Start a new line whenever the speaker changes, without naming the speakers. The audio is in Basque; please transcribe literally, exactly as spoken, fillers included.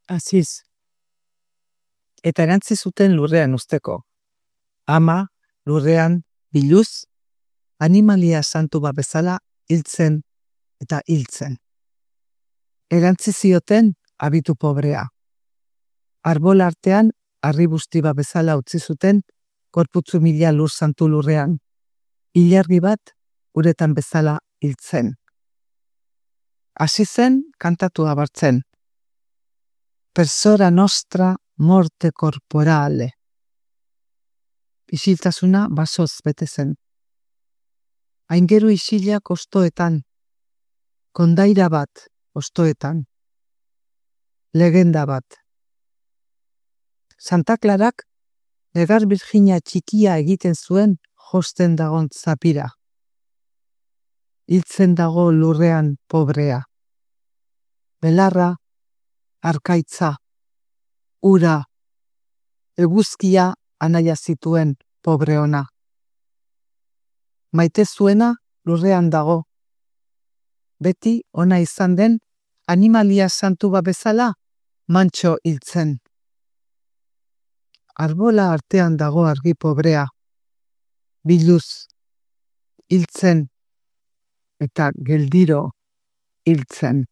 Aziz. Eta erantzi zuten lurrean usteko. Ama lurrean biluz, animalia santu bat bezala hiltzen eta hiltzen. Erantzi zioten abitu pobrea. Arbol artean harribusti bat bezala utzi zuten korputzu mila lur santu lurrean. Ilargi bat uretan bezala hiltzen. Hasi zen kantatu abartzen. Persona nostra morte corporale. Isiltasuna basoz bete zen. Aingeru isilak ostoetan. Kondaira bat ostoetan. Legenda bat. Santa Clarak negar Virginia txikia egiten zuen josten dagon zapira. Hiltzen dago lurrean pobrea. Belarra, arkaitza, ura, eguzkia anaia zituen pobre ona. Maite zuena lurrean dago. Beti ona izan den animalia santu bat bezala mantxo hiltzen. Arbola artean dago argi pobrea. Biluz, hiltzen eta geldiro hiltzen.